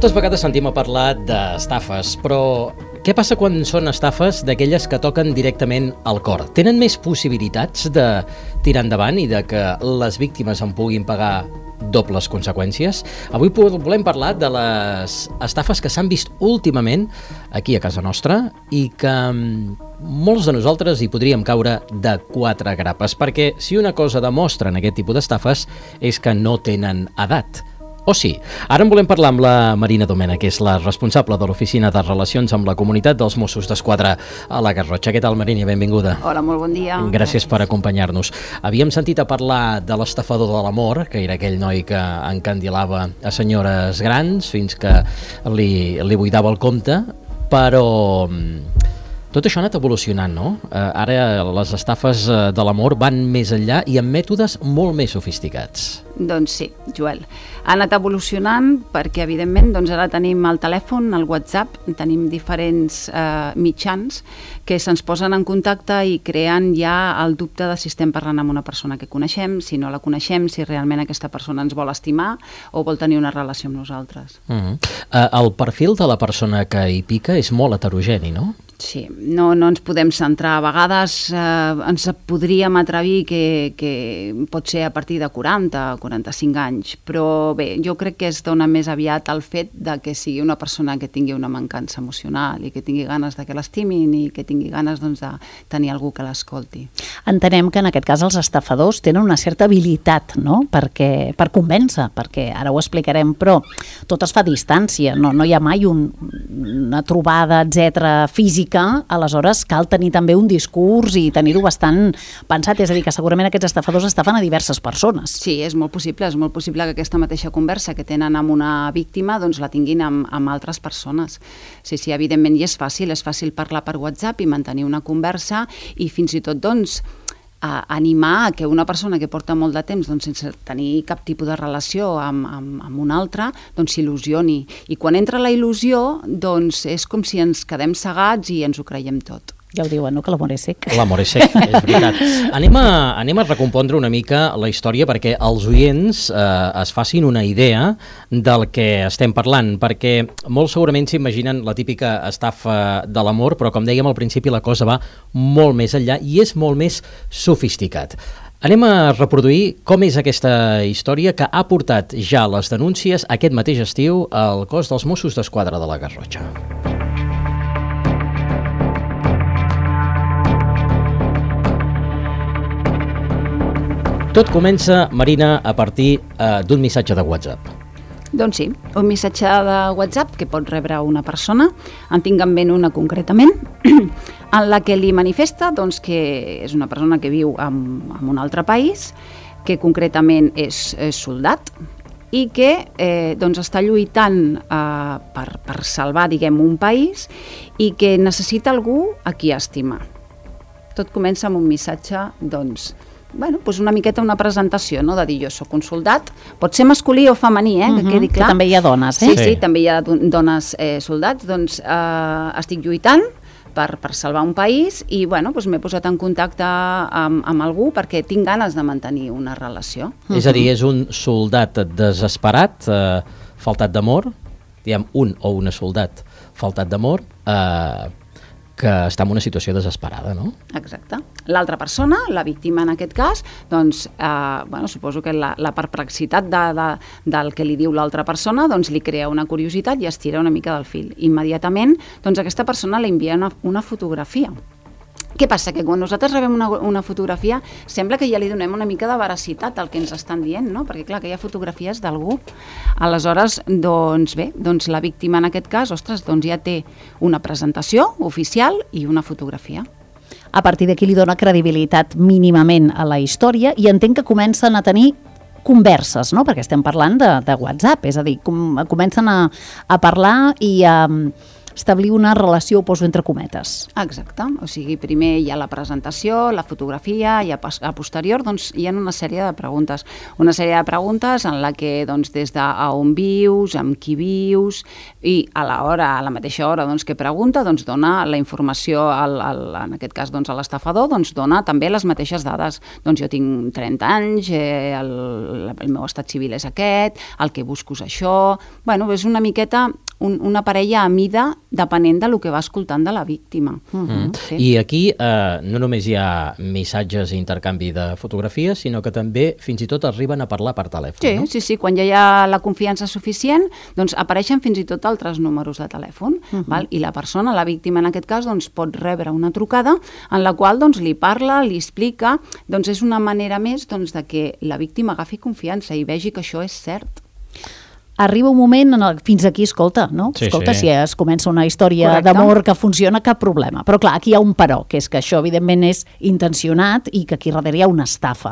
Moltes vegades sentim a parlar d'estafes, però què passa quan són estafes d'aquelles que toquen directament al cor? Tenen més possibilitats de tirar endavant i de que les víctimes en puguin pagar dobles conseqüències? Avui volem parlar de les estafes que s'han vist últimament aquí a casa nostra i que molts de nosaltres hi podríem caure de 4 grapes, perquè si una cosa demostren aquest tipus d'estafes és que no tenen edat. O sí. Ara en volem parlar amb la Marina Domènech, que és la responsable de l'Oficina de Relacions amb la Comunitat dels Mossos d'Esquadra a la Garrotxa. Què tal, Marina? Benvinguda. Hola, molt bon dia. Gràcies per acompanyar-nos. Havíem sentit a parlar de l'estafador de l'amor, que era aquell noi que encandilava a senyores grans fins que li buidava el compte, però tot això ha anat evolucionant, no? Ara les estafes de l'amor van més enllà i amb mètodes molt més sofisticats. Doncs sí, Joel. Ha anat evolucionant perquè, evidentment, ara tenim el telèfon, el WhatsApp, tenim diferents mitjans que se'ns posen en contacte i creen ja el dubte de si estem parlant amb una persona que coneixem, si no la coneixem, si realment aquesta persona ens vol estimar o vol tenir una relació amb nosaltres. El perfil de la persona que hi pica és molt heterogeni, no? Sí, no ens podem centrar. A vegades ens podríem atrevir que pot ser a partir de 40 o 45 anys, però bé, jo crec que es dona més aviat al fet de que sigui una persona que tingui una mancança emocional i que tingui ganes de que l'estimin i que tingui ganes de tenir algú que l'escolti. Entenem que en aquest cas els estafadors tenen una certa habilitat, no? Per convèncer, perquè ara ho explicarem, però tot es fa a distància, no hi ha mai una trobada, etcètera, física. Aleshores cal tenir també un discurs i tenir-ho bastant pensat, és a dir, que segurament aquests estafadors estafen a diverses persones. Sí, és molt possible que aquesta mateixa conversa que tenen amb una víctima doncs la tinguin amb altres persones. Sí, evidentment, i és fàcil parlar per WhatsApp i mantenir una conversa i fins i tot animar a que una persona que porta molt de temps sense tenir cap tipus de relació amb una altra s'il·lusioni. I quan entra la il·lusió és com si ens quedem cegats i ens ho creiem tot. Ja ho diuen, no?, que l'amor és sec. L'amor és sec, és veritat. Anem a recompondre una mica la història perquè els oients es facin una idea del que estem parlant, perquè molt segurament s'imaginen la típica estafa de l'amor, però com dèiem al principi la cosa va molt més enllà i és molt més sofisticat. Anem a reproduir com és aquesta història que ha portat ja les denúncies aquest mateix estiu al cos dels Mossos d'Esquadra de la Garrotxa. Tot comença, Marina, a partir d'un missatge de WhatsApp. Doncs sí, un missatge de WhatsApp que pot rebre una persona, en tinc en ment una concretament, en la que li manifesta que és una persona que viu en un altre país, que concretament és soldat i que està lluitant per salvar, un país i que necessita algú a qui estimar. Tot comença amb un missatge, una miqueta una presentació, no? De dir jo soc un soldat, pot ser masculí o femení, que quedi clar. Que també hi ha dones, Sí, també hi ha dones soldats, estic lluitant per salvar un país i m'he posat en contacte amb algú perquè tinc ganes de mantenir una relació. És a dir, és un soldat desesperat, faltat d'amor, diguem un o una soldat faltat d'amor, que està en una situació desesperada, no? Exacte. L'altra persona, la víctima en aquest cas, suposo que la perplexitat del que li diu l'altra persona li crea una curiositat i es tira una mica del fil. Immediatament, aquesta persona li envia una fotografia. Què passa? Que quan nosaltres rebem una fotografia sembla que ja li donem una mica de veracitat al que ens estan dient, no? Perquè clar, que hi ha fotografies d'algú. Aleshores, la víctima en aquest cas, ja té una presentació oficial i una fotografia. A partir d'aquí li dona credibilitat mínimament a la història i entenc que comencen a tenir converses, no? Perquè estem parlant de WhatsApp, és a dir, comencen a parlar i establir una relació, ho poso entre cometes. Exacte, o sigui, primer hi ha la presentació, la fotografia, i a posterior doncs, hi ha una sèrie de preguntes. Una sèrie de preguntes en la que doncs, des d'on vius, amb qui vius, i a la mateixa hora doncs, que pregunta, doncs, dona la informació, en aquest cas doncs, a l'estafador, doncs, dona també les mateixes dades. Doncs jo tinc 30 anys, el meu estat civil és aquest, el que busco és això... Bueno, és una miqueta una parella a mida depenent del que va escoltant de la víctima. Sí. I aquí no només hi ha missatges i intercanvi de fotografies, sinó que també fins i tot arriben a parlar per telèfon, sí, no? Sí, quan ja hi ha la confiança suficient, doncs apareixen fins i tot altres números de telèfon, val? I la persona, la víctima en aquest cas, doncs, pot rebre una trucada en la qual doncs, li parla, li explica, doncs és una manera més doncs, de que la víctima agafi confiança i vegi que això és cert. Arriba un moment, fins aquí, escolta, no? Sí, escolta, sí. Si es comença una història d'amor que funciona, cap problema. Però clar, aquí hi ha un però, que és que això evidentment és intencionat i que aquí darrere hi ha una estafa.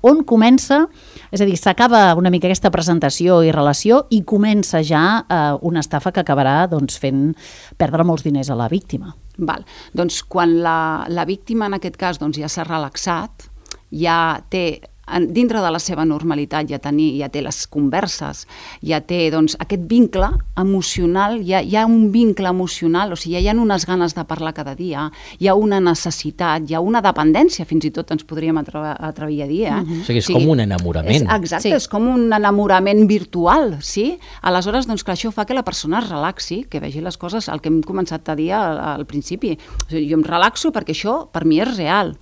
On comença, és a dir, s'acaba una mica aquesta presentació i relació i comença ja una estafa que acabarà doncs, fent perdre molts diners a la víctima. Val. Doncs quan la víctima en aquest cas doncs, ja s'ha relaxat, ja té dintre de la seva normalitat, ja té les converses, ja té doncs, aquest vincle emocional, hi ha un vincle emocional, o sigui, hi ha unes ganes de parlar cada dia, hi ha una necessitat, hi ha una dependència, fins i tot ens podríem atrevir a dir. O sigui, és com un enamorament. Exacte, és com un enamorament virtual, sí? Aleshores, doncs, clar, això fa que la persona es relaxi, que vegi les coses, el que hem començat a dir al principi. O sigui, jo em relaxo perquè això, per mi, és real.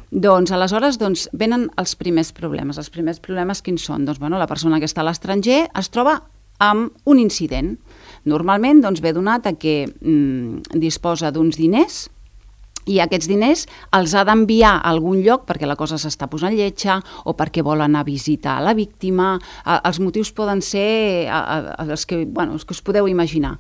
Doncs aleshores venen els primers problemes. Els primers problemes quins són? Doncs la persona que està a l'estranger es troba amb un incident. Normalment ve donat a que disposa d'uns diners i aquests diners els ha d'enviar a algun lloc perquè la cosa s'està posant lletja o perquè vol anar a visitar la víctima. Els motius poden ser els que us podeu imaginar.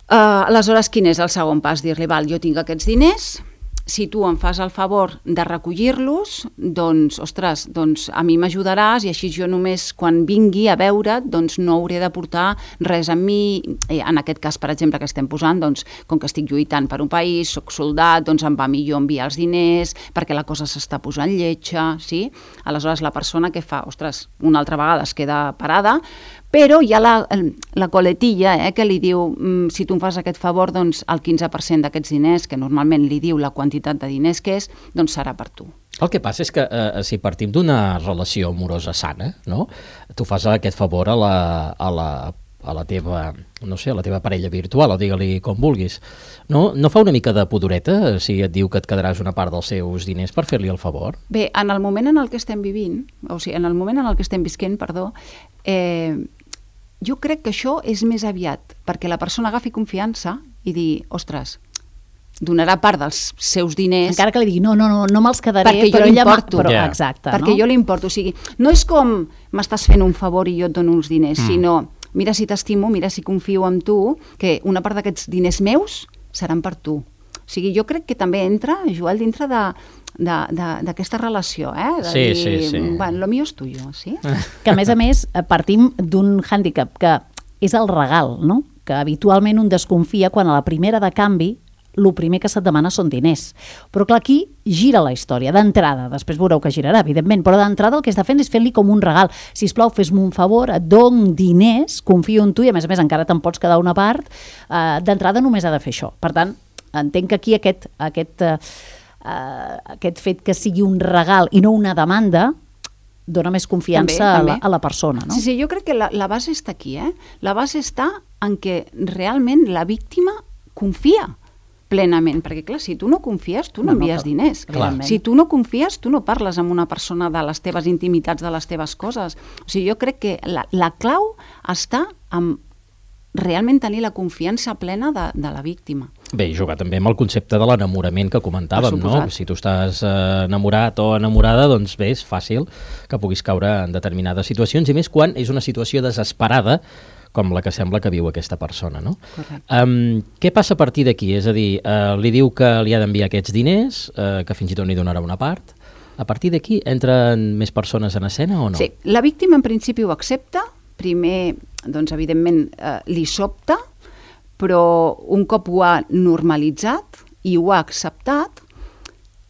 Aleshores, quin és el segon pas? Dir-li, jo tinc aquests diners, si tu em fas el favor de recollir-los, doncs, ostres, a mi m'ajudaràs i així jo només quan vingui a veure't no hauré de portar res amb mi. En aquest cas, per exemple, que estem posant, com que estic lluitant per un país, soc soldat, em va millor enviar els diners perquè la cosa s'està posant lletja, sí? Aleshores, la persona que fa, ostres, una altra vegada es queda parada, però hi ha la coletilla que li diu, si tu em fas aquest favor, doncs el 15% d'aquests diners, que normalment li diu la quantitat de diners que és, doncs serà per tu. El que passa és que si partim d'una relació amorosa sana, no? Tu fas aquest favor a la teva, no sé, a la teva parella virtual, o digue-li com vulguis. No fa una mica de pudoreta si et diu que et quedaràs una part dels seus diners per fer-li el favor? Bé, en el moment en el que estem vivint, o sigui, en el moment en el que estem visquent, jo crec que això és més aviat perquè la persona agafi confiança i dir, ostres, donarà part dels seus diners... Encara que li digui, no me'ls quedaré, perquè però jo l'importo. Exacte, perquè jo l'importo. O sigui, no és com m'estàs fent un favor i jo et dono uns diners, sinó, mira si t'estimo, mira si confio en tu, que una part d'aquests diners meus seran per tu. O sigui, jo crec que també entra, Joel, dintre d'aquesta relació, de dir, bueno, lo mío es tuyo, sí? Que a més partim d'un hàndicap que és el regal, no? Que habitualment un desconfia quan a la primera de canvi el primer que se't demana són diners. Però clar, aquí gira la història, d'entrada, després veureu que girarà, evidentment, però d'entrada el que està fent és fer-li com un regal. Sisplau, fes-me un favor, et dono diners, confio en tu i a més encara te'n pots quedar una part, d'entrada només ha de fer això. Per tant, entenc que aquí aquest fet que sigui un regal i no una demanda dona més confiança també. A la persona, no? Sí, jo crec que la base està aquí, La base està en que realment la víctima confia plenament, perquè clar, si tu no confies, tu no envies diners. Si tu no confies, tu no parles amb una persona de les teves intimitats, de les teves coses. O sigui, jo crec que la clau està en realment tenir la confiança plena de la víctima. Bé, jugar també amb el concepte de l'enamorament que comentàvem, no? Si tu estàs enamorat o enamorada, doncs bé, és fàcil que puguis caure en determinades situacions, i més quan és una situació desesperada com la que sembla que viu aquesta persona, no? Què passa a partir d'aquí? És a dir, li diu que li ha d'enviar aquests diners, que fins i tot n'hi donarà una part. A partir d'aquí entren més persones en escena o no? Sí, la víctima en principi ho accepta. Primer, doncs, evidentment, li sobta, però un cop ho ha normalitzat i ho ha acceptat,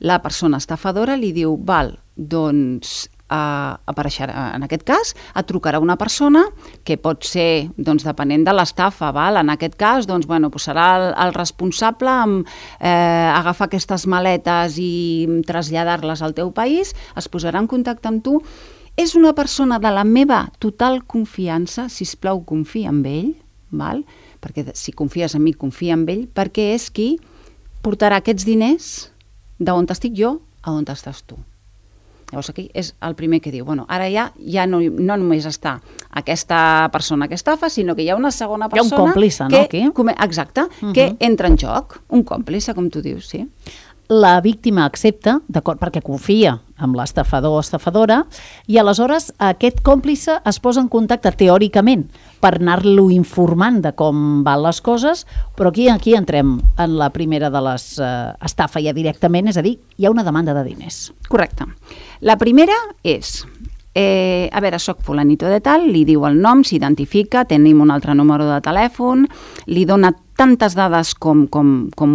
la persona estafadora li diu, val, doncs apareixerà, en aquest cas, et trucarà una persona que pot ser, doncs, depenent de l'estafa, val? En aquest cas, doncs, bueno, serà el responsable amb agafar aquestes maletes i traslladar-les al teu país, es posarà en contacte amb tu. És una persona de la meva total confiança, sisplau, confia en ell, val? Perquè si confies en mi, confia en ell, perquè és qui portarà aquests diners d'on estic jo a on estàs tu. Llavors aquí és el primer que diu, bueno, ara ja no només està aquesta persona que estafa, sinó que hi ha una segona persona... Hi ha un còmplice, no, aquí? Exacte, que entra en joc, un còmplice, com tu dius, sí. La víctima accepta, d'acord, perquè confia amb l'estafador o estafadora, i aleshores aquest còmplice es posa en contacte teòricament per anar-lo informant de com van les coses, però aquí entrem en la primera de les estafa ja directament, és a dir, hi ha una demanda de diners. Correcte. La primera és... a veure, soc fulanito de tal, li diu el nom, s'identifica, tenim un altre número de telèfon, li dona tantes dades com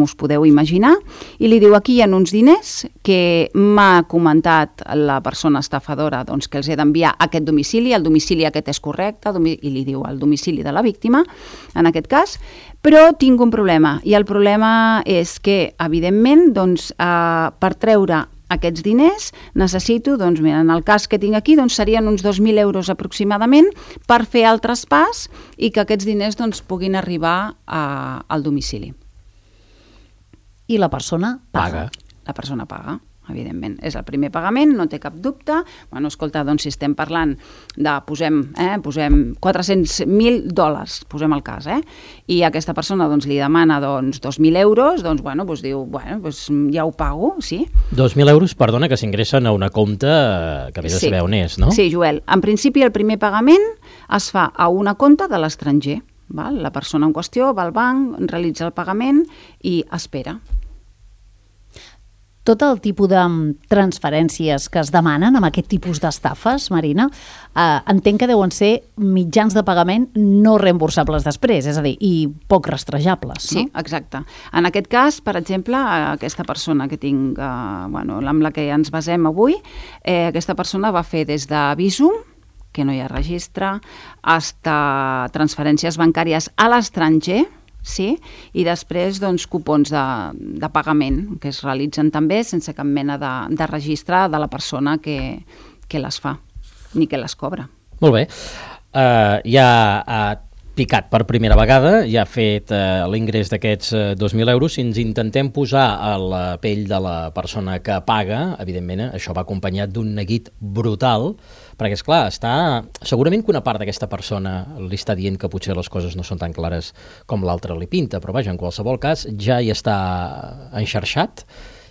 us podeu imaginar, i li diu, aquí hi ha uns diners que m'ha comentat la persona estafadora, doncs, que els he d'enviar a aquest domicili, el domicili aquest és correcte, i li diu el domicili de la víctima, en aquest cas, però tinc un problema, i el problema és que, evidentment, doncs, per treure aquests diners necessito, doncs mira, en el cas que tinc aquí, doncs serien uns 2.000 euros aproximadament per fer el traspàs i que aquests diners doncs puguin arribar al domicili. I la persona paga. La persona paga, evidentment. És el primer pagament, no té cap dubte. Bueno, escolta, doncs si estem parlant de, posem $400.000, posem el cas, i aquesta persona doncs li demana doncs 2.000 euros, doncs bueno, doncs diu, bueno, doncs ja ho pago, sí. 2.000 euros, perdona, que s'ingressen a una compte que vés a saber on és, no? Sí, Joel. En principi el primer pagament es fa a una compte de l'estranger. La persona en qüestió va al banc, realitza el pagament i espera. Tot el tipus de transferències que es demanen amb aquest tipus d'estafes, Marina, entenc que deuen ser mitjans de pagament no reemborsables després, és a dir, i poc rastrejables, no? Sí, exacte. En aquest cas, per exemple, aquesta persona que tinc, amb la que ens basem avui, aquesta persona va fer des de Bizum, que no hi ha registre, fins a transferències bancàries a l'estranger, sí, i després doncs, cupons de pagament que es realitzen també sense cap mena de registre de la persona que les fa, ni que les cobra. Molt bé. Ja ha picat per primera vegada, ja ha fet l'ingrés d'aquests 2.000 euros. Si ens intentem posar a la pell de la persona que paga, evidentment això va acompanyat d'un neguit brutal, perquè, esclar, segurament que una part d'aquesta persona li està dient que potser les coses no són tan clares com l'altre li pinta, però vaja, en qualsevol cas ja hi està enxarxat.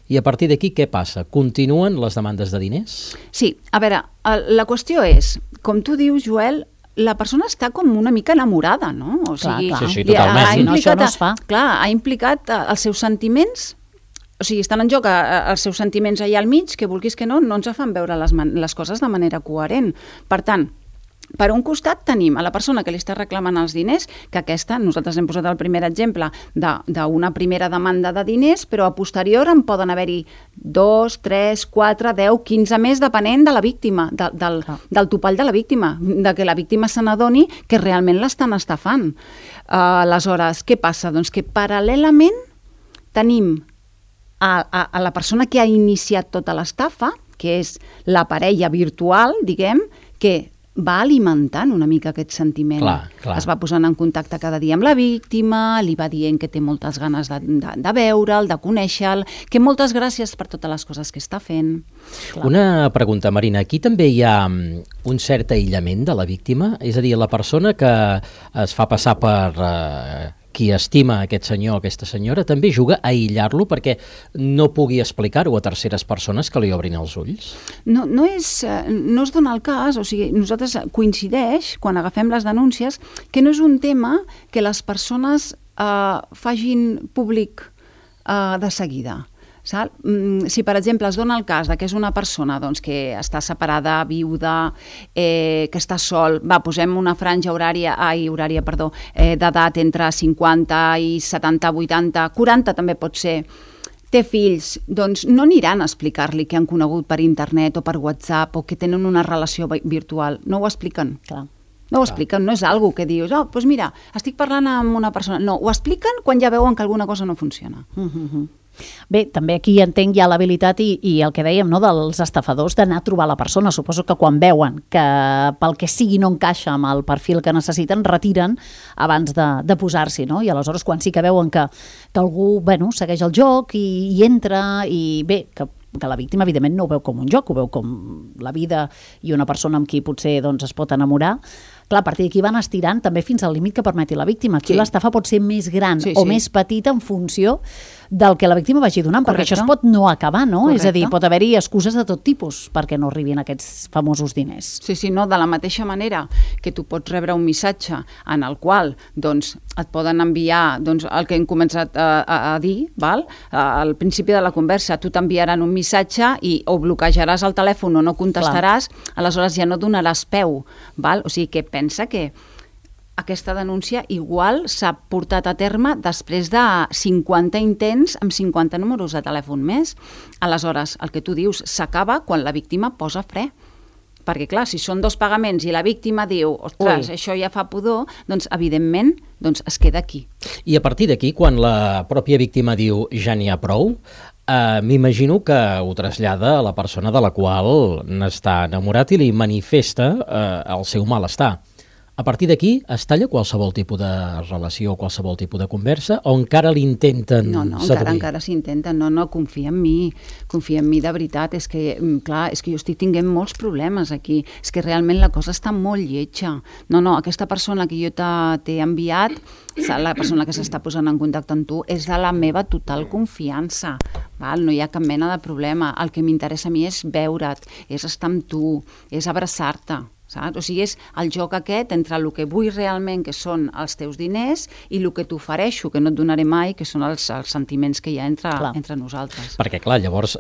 I a partir d'aquí què passa? Continuen les demandes de diners? Sí, a veure, la qüestió és, com tu dius, Joel, la persona està com una mica enamorada, no? O sigui, clar. Sí, totalment. Això no es fa. Clar, ha implicat els seus sentiments, o sigui, estan en joc els seus sentiments allà al mig, que vulguis que no ens fan veure les coses de manera coherent. Per tant, per un costat tenim a la persona que li està reclamant els diners, que aquesta, nosaltres hem posat el primer exemple d'una primera demanda de diners, però a posterior en poden haver-hi 2, 3, 4, 10, 15 més, depenent de la víctima, del topall de la víctima, de que la víctima se n'adoni que realment l'estan estafant. Aleshores, què passa? Doncs que paral·lelament tenim a la persona que ha iniciat tota l'estafa, que és la parella virtual, diguem, que va alimentant una mica aquest sentiment. Clar. Es va posant en contacte cada dia amb la víctima, li va dient que té moltes ganes de veure'l, de conèixer-l, que moltes gràcies per totes les coses que està fent. Clar. Una pregunta, Marina. Aquí també hi ha un cert aïllament de la víctima? És a dir, la persona que es fa passar per qui estima aquest senyor o aquesta senyora també juga a aïllar-lo perquè no pugui explicar-ho a terceres persones que li obrin els ulls? No es dona el cas, o sigui, nosaltres coincideix, quan agafem les denúncies, que no és un tema que les persones facin públic de seguida. Si, per exemple, es dona el cas que és una persona que està separada, viuda, que està sol, posem una franja d'edat entre 50 i 70, 80, 40 també pot ser, té fills, doncs no aniran a explicar-li que han conegut per internet o per WhatsApp o que tenen una relació virtual. No ho expliquen. Clar. No ho expliquen, no és algo que dius, doncs mira, estic parlant amb una persona. No, ho expliquen quan ja veuen que alguna cosa no funciona. Bé, també aquí entenc ja l'habilitat i el que dèiem, no, dels estafadors d'anar a trobar la persona. Suposo que quan veuen que pel que sigui no encaixa amb el perfil que necessiten, retiren abans de posar-s'hi, no? I aleshores quan sí que veuen que algú, segueix el joc i entra i bé, que la víctima evidentment no ho veu com un joc, ho veu com la vida i una persona amb qui potser es pot enamorar. Clar, a partir d'aquí van estirant també fins al límit que permeti la víctima. Aquí l'estafa pot ser més gran o més petita en funció del que la víctima vagi donant, perquè això es pot no acabar, no? És a dir, pot haver-hi excuses de tot tipus perquè no arribin aquests famosos diners. Sí, no, de la mateixa manera que tu pots rebre un missatge en el qual et poden enviar el que hem començat a dir, al principi de la conversa, tu t'enviaran un missatge i o bloquejaràs el telèfon o no contestaràs, aleshores ja no donaràs peu, o sigui que pensa que aquesta denúncia igual s'ha portat a terme després de 50 intents amb 50 números de telèfon més. Aleshores, el que tu dius s'acaba quan la víctima posa fre. Perquè, clar, si són 2 pagaments i la víctima diu, ostres, això ja fa pudor, doncs, evidentment, es queda aquí. I a partir d'aquí, quan la pròpia víctima diu ja n'hi ha prou, m'imagino que ho trasllada a la persona de la qual n'està enamorat i li manifesta el seu malestar. A partir d'aquí es talla qualsevol tipus de relació, qualsevol tipus de conversa, o encara l'intenten seduir? Encara s'intenten. No, confia en mi de veritat. És que jo estic tinguent molts problemes aquí. És que realment la cosa està molt lletja. No, aquesta persona que jo t'he enviat, la persona que s'està posant en contacte amb tu, és de la meva total confiança. No hi ha cap mena de problema. El que m'interessa a mi és veure't, és estar amb tu, és abraçar-te. O sigui, és el joc aquest entre el que vull realment, que són els teus diners, i el que t'ofereixo, que no et donaré mai, que són els sentiments que hi ha entre nosaltres. Perquè, clar, llavors,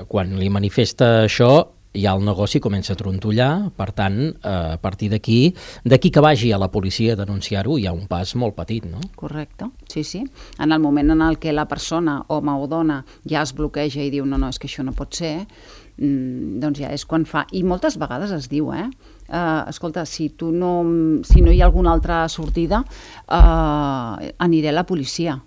quan li manifesta això, ja el negoci comença a trontollar, per tant, a partir d'aquí que vagi a la policia a denunciar-ho, hi ha un pas molt petit, no? Correcte, sí. En el moment en el que la persona, home o dona, ja es bloqueja i diu no, és que això no pot ser, doncs ja és quan fa, i moltes vegades es diu, escolta, si no hi ha alguna altra sortida, aniré a la policia.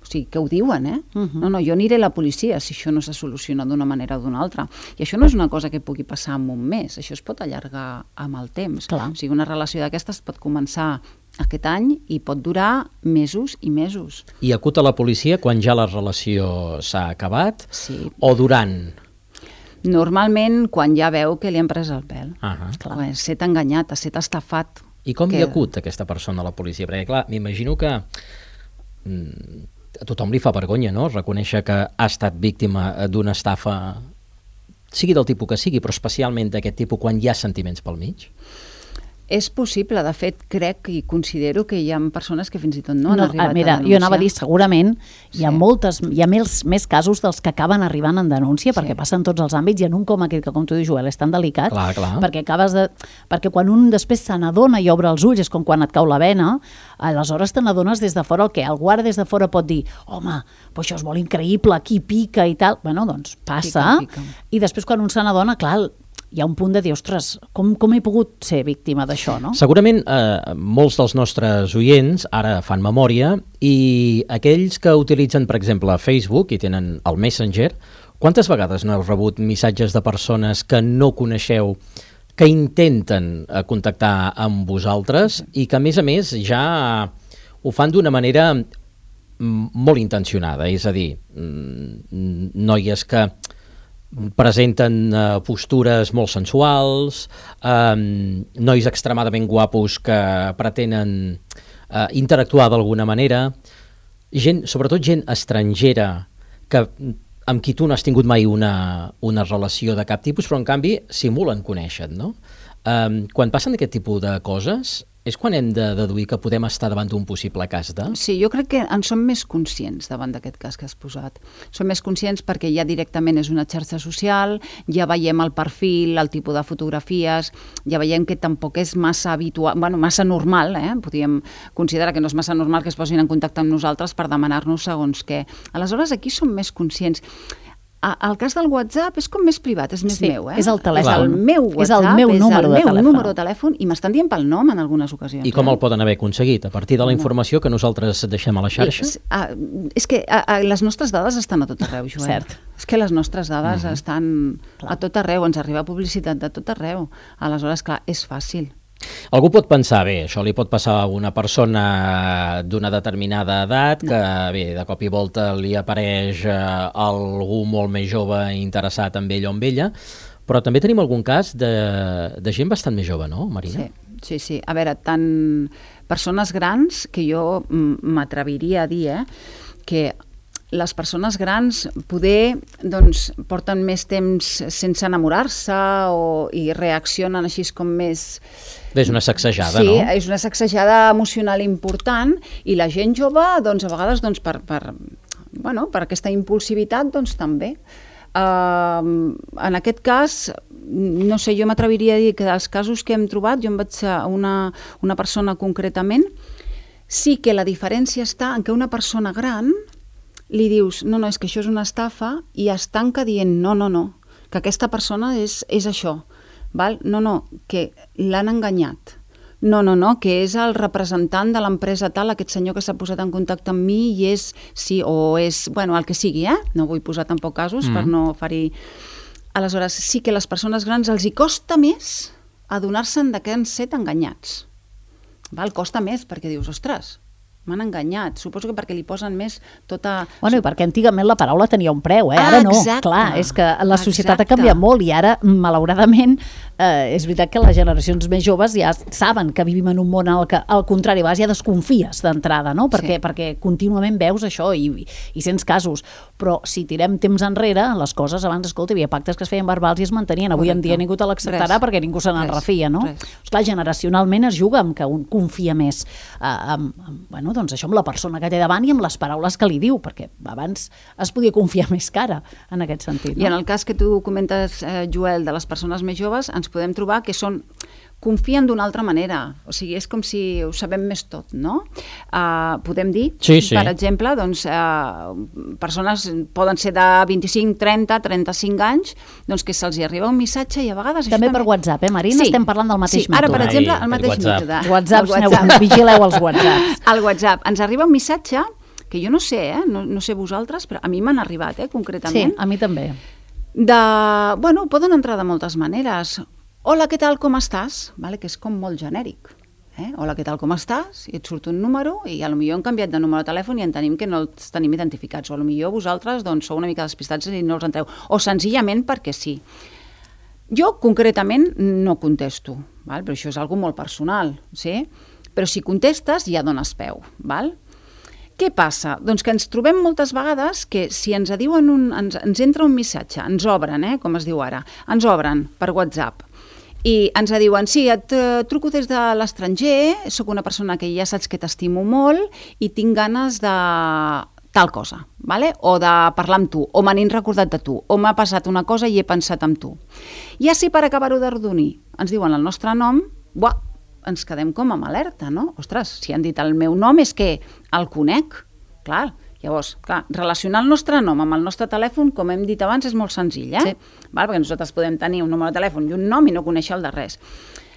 O sigui, que ho diuen, No, jo aniré a la policia si això no se soluciona d'una manera o d'una altra. I això no és una cosa que pugui passar en un mes, això es pot allargar amb el temps. Clar. O sigui, una relació d'aquestes pot començar aquest any i pot durar mesos i mesos. I acut a la policia quan ja la relació s'ha acabat? Sí. O durant? Normalment quan ja veu que li han pres el pèl. Clar. Set enganyat, set estafat. I com hi acut aquesta persona a la policia? Perquè, clar, m'imagino que a tothom li fa vergonya, no?, reconèixer que ha estat víctima d'una estafa, sigui del tipus que sigui, però especialment d'aquest tipus quan hi ha sentiments pel mig. És possible, de fet, crec i considero que hi ha persones que fins i tot no han arribat a denunciar. Jo anava a dir, segurament hi ha més casos dels que acaben arribant en denúncia, perquè passen tots els àmbits, i en un com aquest, que com tu dius, Joel, és tan delicat, clar. perquè quan un després se n'adona i obre els ulls, és com quan et cau la vena, aleshores te n'adones des de fora, el guarda des de fora pot dir, home, però això és molt increïble, aquí pica i tal. Bueno, doncs passa, pica. I després quan un se n'adona, clar, hi ha un punt de dir, ostres, com he pogut ser víctima d'això, no? Segurament molts dels nostres oients ara fan memòria, i aquells que utilitzen, per exemple, Facebook i tenen el Messenger, quantes vegades no heu rebut missatges de persones que no coneixeu, que intenten contactar amb vosaltres i que, a més, ja ho fan d'una manera molt intencionada, és a dir, noies que presenten postures molt sensuals, nois extremadament guapos que pretenen interactuar d'alguna manera, sobretot gent estrangera amb qui tu no has tingut mai una relació de cap tipus, però en canvi simulen conèixer, no? Quan passen aquest tipus de coses, és quan hem de deduir que podem estar davant d'un possible cas de... Sí, jo crec que en som més conscients davant d'aquest cas que has posat. Som més conscients perquè ja directament és una xarxa social, ja veiem el perfil, el tipus de fotografies, ja veiem que tampoc és massa habitual, massa normal, podríem considerar que no és massa normal que es posin en contacte amb nosaltres per demanar-nos segons què. Aleshores, aquí som més conscients. El cas del WhatsApp és com més privat, és més meu. És el telèfon. És el meu WhatsApp, és el meu número de telèfon i m'estan dient pel nom en algunes ocasions. I com el poden haver aconseguit? A partir de la informació que nosaltres deixem a la xarxa? És que les nostres dades estan a tot arreu, Joel. Cert. És que les nostres dades estan a tot arreu, ens arriba publicitat de tot arreu. Aleshores, clar, és fàcil. Algú pot pensar, bé, això li pot passar a una persona d'una determinada edat, que bé, de cop i volta li apareix algú molt més jove interessat en ell o en ella, però també tenim algun cas de gent bastant més jove, no, Marina? Sí. A veure, tant persones grans, que jo m'atreviria a dir, que les persones grans poder porten més temps sense enamorar-se i reaccionen així com més... És una sacsejada, no? Sí, és una sacsejada emocional important i la gent jove, a vegades, per aquesta impulsivitat, també. En aquest cas, no sé, jo m'atreviria a dir que dels casos que hem trobat, jo em vaig a una persona concretament, sí que la diferència està en que una persona gran li dius, no, és que això és una estafa, i es tanca dient, no, que aquesta persona és això, val? No, que l'han enganyat, no, que és el representant de l'empresa tal, aquest senyor que s'ha posat en contacte amb mi i és, sí, o és, el que sigui, no vull posar tampoc casos per no ferir. Aleshores, sí que les persones grans els hi costa més adonar-se'n que han set enganyats, val? Costa més perquè dius, ostres, m'han enganyat. Suposo que perquè li posen més tota... I perquè antigament la paraula tenia un preu, ara no. Exacte. Clar, és que la societat ha canviat molt i ara, malauradament, és veritat que les generacions més joves ja saben que vivim en un món al que, al contrari, ja desconfies d'entrada, no? Perquè contínuament veus això i sents casos. Però si tirem temps enrere, les coses abans, escolta, hi havia pactes que es feien verbals i es mantenien. Avui en dia ningú te l'acceptarà perquè ningú se n'en refia, no? Esclar, generacionalment es juga amb que un confia més doncs això amb la persona que té davant i amb les paraules que li diu, perquè abans es podia confiar més que ara, en aquest sentit. I en el cas que tu comentes, Joel, de les persones més joves, ens podem trobar que confien d'una altra manera, o sigui, és com si ho sabem més tot, no? Podem dir, per exemple, persones poden ser de 25, 30, 35 anys, que se'ls hi arriba un missatge i a vegades... També per WhatsApp, Marina? Estem parlant del mateix mètode. Ara, per exemple, el mateix mètode. WhatsApp, vigileu els WhatsApps. El WhatsApp. Ens arriba un missatge que jo no sé, no sé vosaltres, però a mi m'han arribat, concretament. Sí, a mi també. Poden entrar de moltes maneres. Hola, què tal, com estàs? Que és com molt genèric. Hola, què tal, com estàs? I et surt un número i potser hem canviat de número de telèfon i entenem que no els tenim identificats. O potser vosaltres sou una mica despistats i no els entreu. O senzillament perquè sí. Jo, concretament, no contesto, però això és algo molt personal, sí? Però si contestes ja dones peu, val? Què passa? Doncs que ens trobem moltes vegades que si ens diuen ens entra un missatge, ens obren, com es diu ara, ens obren per WhatsApp i ens diuen, sí, et truco des de l'estranger, sóc una persona que ja saps que t'estimo molt i tinc ganes de tal cosa, vale? O de parlar amb tu, o me n'he recordat de tu, o m'ha passat una cosa i he pensat en tu. I així per acabar-ho d'ardonir, ens diuen el nostre nom, ens quedem com amb alerta, no? Ostres, si han dit el meu nom és que el conec, clar. Llavors, relacionar el nostre nom amb el nostre telèfon, com hem dit abans, és molt senzill, Sí. Perquè nosaltres podem tenir un número de telèfon i un nom i no conèixer el de res.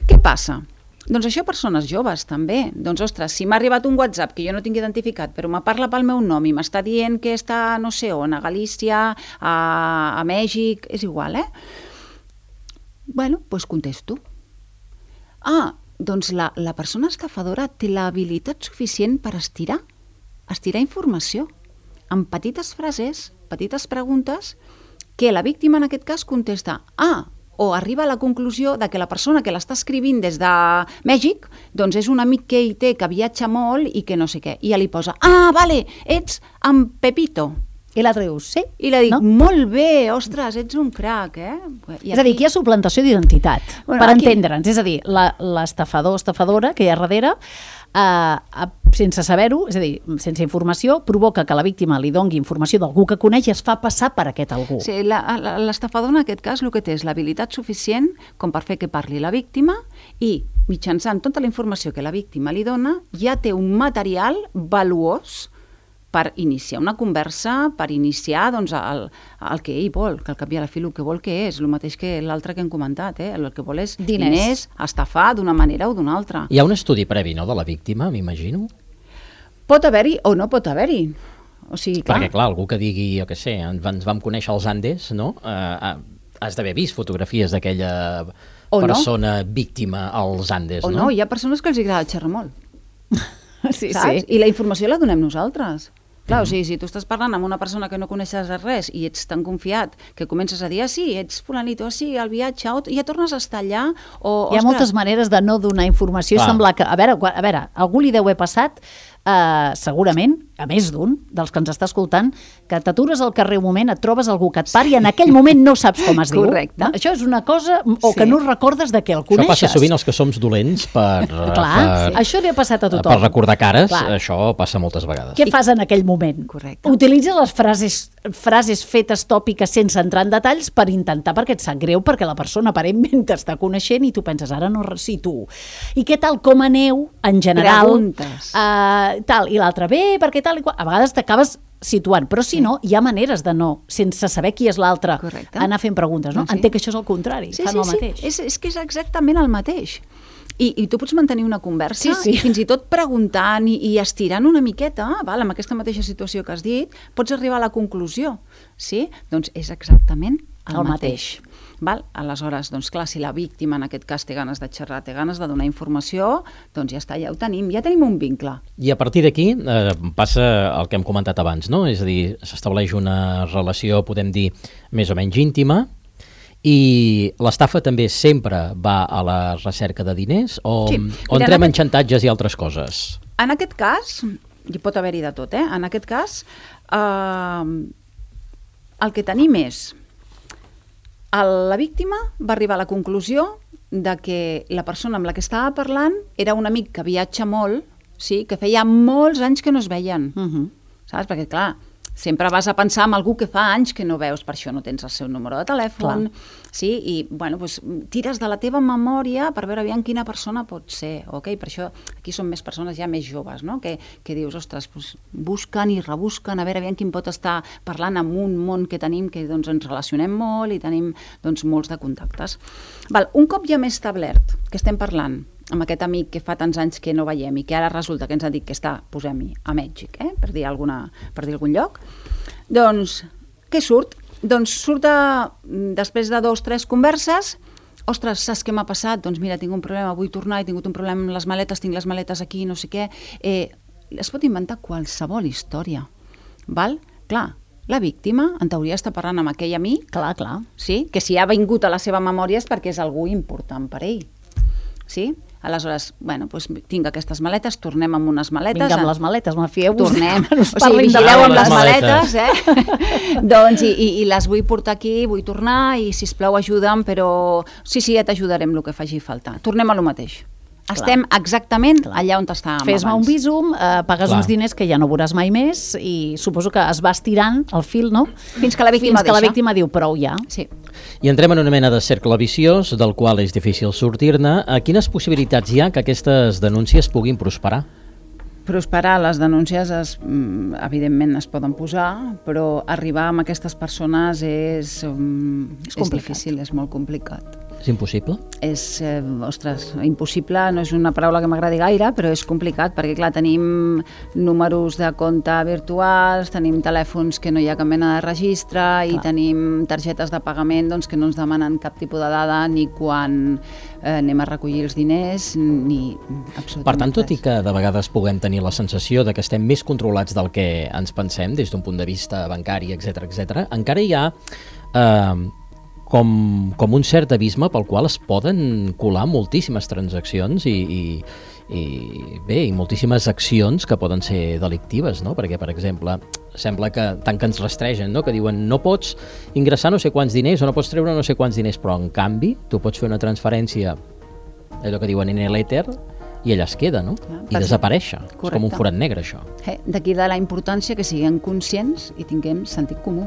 Què passa? Doncs això persones joves, també. Doncs, ostres, si m'ha arribat un WhatsApp que jo no tinc identificat, però me parla pel meu nom i m'està dient que està, no sé on, a Galícia, a Mèxic, és igual, doncs contesto. Doncs la persona estafadora té l'habilitat suficient per estirar informació amb petites frases, petites preguntes, que la víctima en aquest cas contesta o arriba a la conclusió de que la persona que l'està escrivint des de Mèxic doncs és un amic que ell té que viatja molt i que no sé què. I ja li posa, vale, ets en Pepito. I l'altre diu, sí. I la dic, molt bé, ostres, ets un crac, És a dir, aquí hi ha suplantació d'identitat, per entendre'ns. És a dir, l'estafador o estafadora que hi ha darrere, sense saber-ho, és a dir, sense informació, provoca que la víctima li dongui informació d'algú que coneix i es fa passar per aquest algú. Sí, l'estafador en aquest cas el que té és l'habilitat suficient com per fer que parli la víctima i mitjançant tota la informació que la víctima li dona ja té un material valuós per iniciar una conversa, per iniciar doncs, el que ell vol, que al cap i a la fi el que vol que és, el mateix que l'altre que hem comentat, el que vol és diners, estafar d'una manera o d'una altra. Hi ha un estudi previ, no?, de la víctima, m'imagino? Pot haver-hi o no pot haver-hi. O sigui, perquè, clar, algú que digui, jo què sé, ens vam conèixer als Andes, no?, has d'haver vist fotografies d'aquella persona víctima als Andes, no? O no, hi ha persones que els agrada xerrar molt. Sí, saps? I la informació la donem nosaltres. Clar, o sigui, si tu estàs parlant amb una persona que no coneixes de res i ets tan confiat que comences a dir, sí, ets fulanito, sí, al viatge, i ja tornes a estar allà, Hi ha moltes maneres de no donar informació. Sembla que, a veure, algú li deu haver passat, segurament, a més d'un, dels que ens està escoltant, que t'atures al carrer un moment, et trobes algú que et pari i en aquell moment no saps com es diu. Correcte. Això és una cosa, o que no recordes de què el coneixes. Això passa sovint als que som dolents això li ha passat a tothom. Per recordar cares, això passa moltes vegades. Què fas en aquell moment? Correcte. Utilitza les frases fetes tòpiques sense entrar en detalls per intentar, perquè et sap greu, perquè la persona aparentment t'està coneixent i tu penses, ara no si tu. I què tal, com aneu, en general? Preguntes. Tal, i l'altre, bé, perquè tal i qual. A vegades t'acabes situant, però si no, hi ha maneres de no, sense saber qui és l'altre, anar fent preguntes, no? Entenc que això és el contrari, fan el mateix. És que és exactament el mateix. I tu pots mantenir una conversa i fins i tot preguntant i estirant una miqueta, amb aquesta mateixa situació que has dit, pots arribar a la conclusió. Sí? Doncs és exactament el mateix. Val? Aleshores, doncs clar, si la víctima en aquest cas té ganes de xerrar, té ganes de donar informació, doncs ja està, ja ho tenim, ja tenim un vincle. I a partir d'aquí passa el que hem comentat abans, no? És a dir, s'estableix una relació, podem dir, més o menys íntima, i l'estafa també sempre va a la recerca de diners o entrem en xantatges i altres coses? En aquest cas, hi pot haver-hi de tot, en aquest cas, el que tenim és la víctima va arribar a la conclusió de que la persona amb la que estava parlant era un amic que viatja molt, sí, que feia molts anys que no es veien. Saps? Perquè, clar, sempre vas a pensar en algú que fa anys que no veus, per això no tens el seu número de telèfon, sí? I, bueno, doncs, tires de la teva memòria per veure aviam quina persona pot ser, ok? Per això aquí són més persones ja més joves, no? Que dius, ostres, doncs, busquen i rebusquen a veure aviam quin pot estar parlant amb un món que tenim, que doncs, ens relacionem molt i tenim doncs, molts de contactes. Val, un cop ja m'he establert que estem parlant amb aquest amic que fa tants anys que no veiem i que ara resulta que ens ha dit que està, posem-hi, a Mèxic, per dir algun lloc, doncs, què surt? Doncs surt després de 2 o 3 converses, ostres, saps què m'ha passat? Doncs mira, tinc un problema, vull tornar, he tingut un problema amb les maletes, tinc les maletes aquí, no sé què. Es pot inventar qualsevol història, val? Clar, la víctima, en teoria, està parlant amb aquell amic, clar, sí? Que si ha vingut a la seva memòria és perquè és algú important per ell, sí? Aleshores, bueno, doncs tinc aquestes maletes, tornem amb unes maletes. Vinga, amb les maletes, mafieu-vos. Tornem, o sigui, vigileu amb les maletes, doncs, i les vull portar aquí, vull tornar, i sisplau ajuda'm, però sí, ja t'ajudarem el que faci falta. Tornem a lo mateix. Estem exactament allà on estàvem abans. Fes-me un bísum, pagues uns diners que ja no veuràs mai més i suposo que es va estirant el fil, no? Fins que la víctima diu prou ja. Sí. I entrem en una mena de cercle viciós del qual és difícil sortir-ne. Quines possibilitats hi ha que aquestes denúncies puguin prosperar? Prosperar, les denúncies evidentment es poden posar, però arribar amb aquestes persones és difícil, és molt complicat. És impossible? Ostres, impossible no és una paraula que m'agradi gaire, però és complicat, perquè clar, tenim números de compte virtuals, tenim telèfons que no hi ha cap mena de registre i tenim targetes de pagament doncs, que no ens demanen cap tipus de dada ni quan anem a recollir els diners, ni absolutament Per tant, tot i que de vegades puguem tenir la sensació de que estem més controlats del que ens pensem des d'un punt de vista bancari, etc., encara hi ha com un cert abisme pel qual es poden colar moltíssimes transaccions i moltíssimes accions que poden ser delictives, no? Perquè, per exemple, sembla que tant que ens rastregen, no? Que diuen no pots ingressar no sé quants diners o no pots treure no sé quants diners, però en canvi tu pots fer una transferència, allò que diuen en l'èter, i allà es queda, no? I desaparèixer. És com un forat negre, això. D'aquí de la importància que siguem conscients i tinguem sentit comú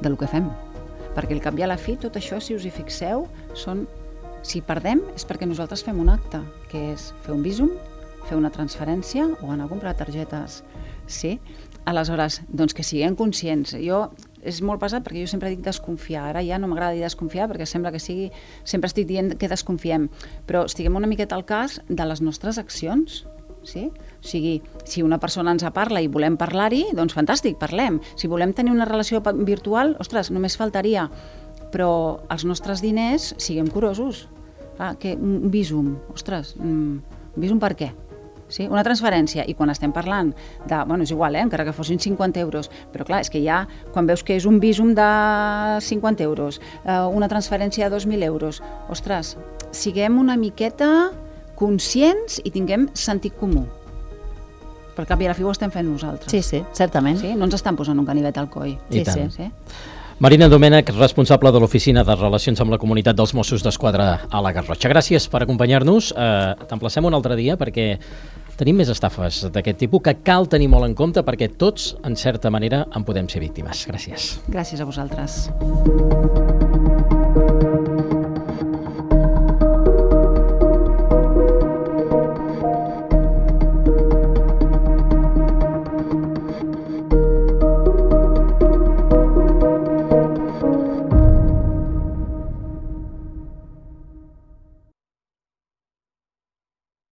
del que fem. Perquè al cap i a la fi, tot això, si us hi fixeu, si perdem és perquè nosaltres fem un acte, que és fer un visum, fer una transferència o anar a comprar targetes. Sí? Aleshores, doncs que siguem conscients. És molt pesat perquè jo sempre dic desconfiar. Ara ja no m'agrada dir desconfiar perquè sembla que sigui... Sempre estic dient que desconfiem, però estiguem una miqueta al cas de les nostres accions. Sí? O sigui, si una persona ens parla i volem parlar-hi, doncs fantàstic, parlem. Si volem tenir una relació virtual, ostres, només faltaria. Però els nostres diners, siguem curosos. Un visum, ostres, un visum per què? Sí? Una transferència, i quan estem parlant de, és igual, encara que fossin 50 euros, però clar, és que ja, quan veus que és un visum de 50 euros, una transferència de 2.000 euros, ostres, siguem una miqueta conscients i tinguem sentit comú. Per cap i a la fi ho estem fent nosaltres. Sí, certament. Sí? No ens estan posant un ganivet al coll. Sí. Marina Domènech, responsable de l'Oficina de Relacions amb la Comunitat dels Mossos d'Esquadra a la Garrotxa. Gràcies per acompanyar-nos. T'emplacem un altre dia perquè tenim més estafes d'aquest tipus que cal tenir molt en compte perquè tots, en certa manera, en podem ser víctimes. Gràcies. Gràcies a vosaltres.